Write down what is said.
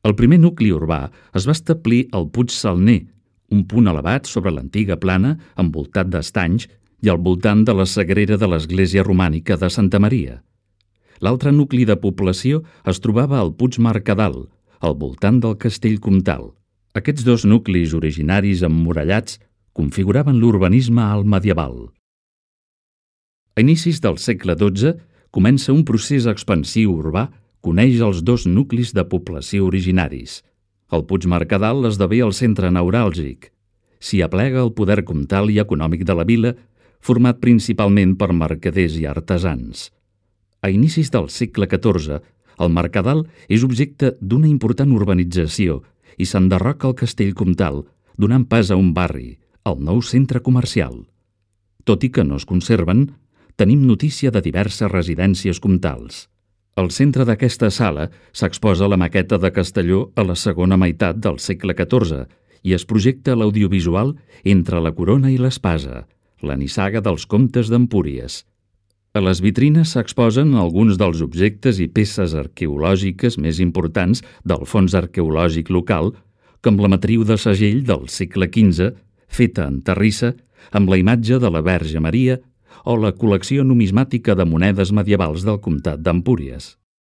El primer nucli urbà es va establir al Puig Salner, un punt elevat sobre l'antiga plana envoltat d'estanys i al voltant de la sagrera de l'església romànica de Santa Maria. L'altre nucli de població es trobava al Puig Mercadal, al voltant del castell comtal. Aquests dos nuclis originaris emmurallats configuraven l'urbanisme alt medieval. A inicis del segle XII comença un procés expansiu urbà que uneix els dos nuclis de població originaris. El Puig Mercadal esdevé el centre neuràlgic. S'hi aplega el poder comtal i econòmic de la vila, format principalment per mercaders i artesans. A inicis del segle XIV, el Mercadal és objecte d'una important urbanització i s'enderroca el castell comtal, donant pas a un barri, el nou centre comercial. Tot i que no es conserven, tenim notícia de diverses residències comtals. Al centre d'aquesta sala s'exposa la maqueta de Castelló a la segona meitat del segle XIV i es projecta l'audiovisual Entre la corona i l'espasa, la nissaga dels comtes d'Empúries. A les vitrines s'exposen alguns dels objectes i peces arqueològiques més importants del fons arqueològic local, com la matriu de segell del segle XV, feta en terrissa, amb la imatge de la Verge Maria, o la col·lecció numismàtica de monedes medievals del comtat d'Empúries.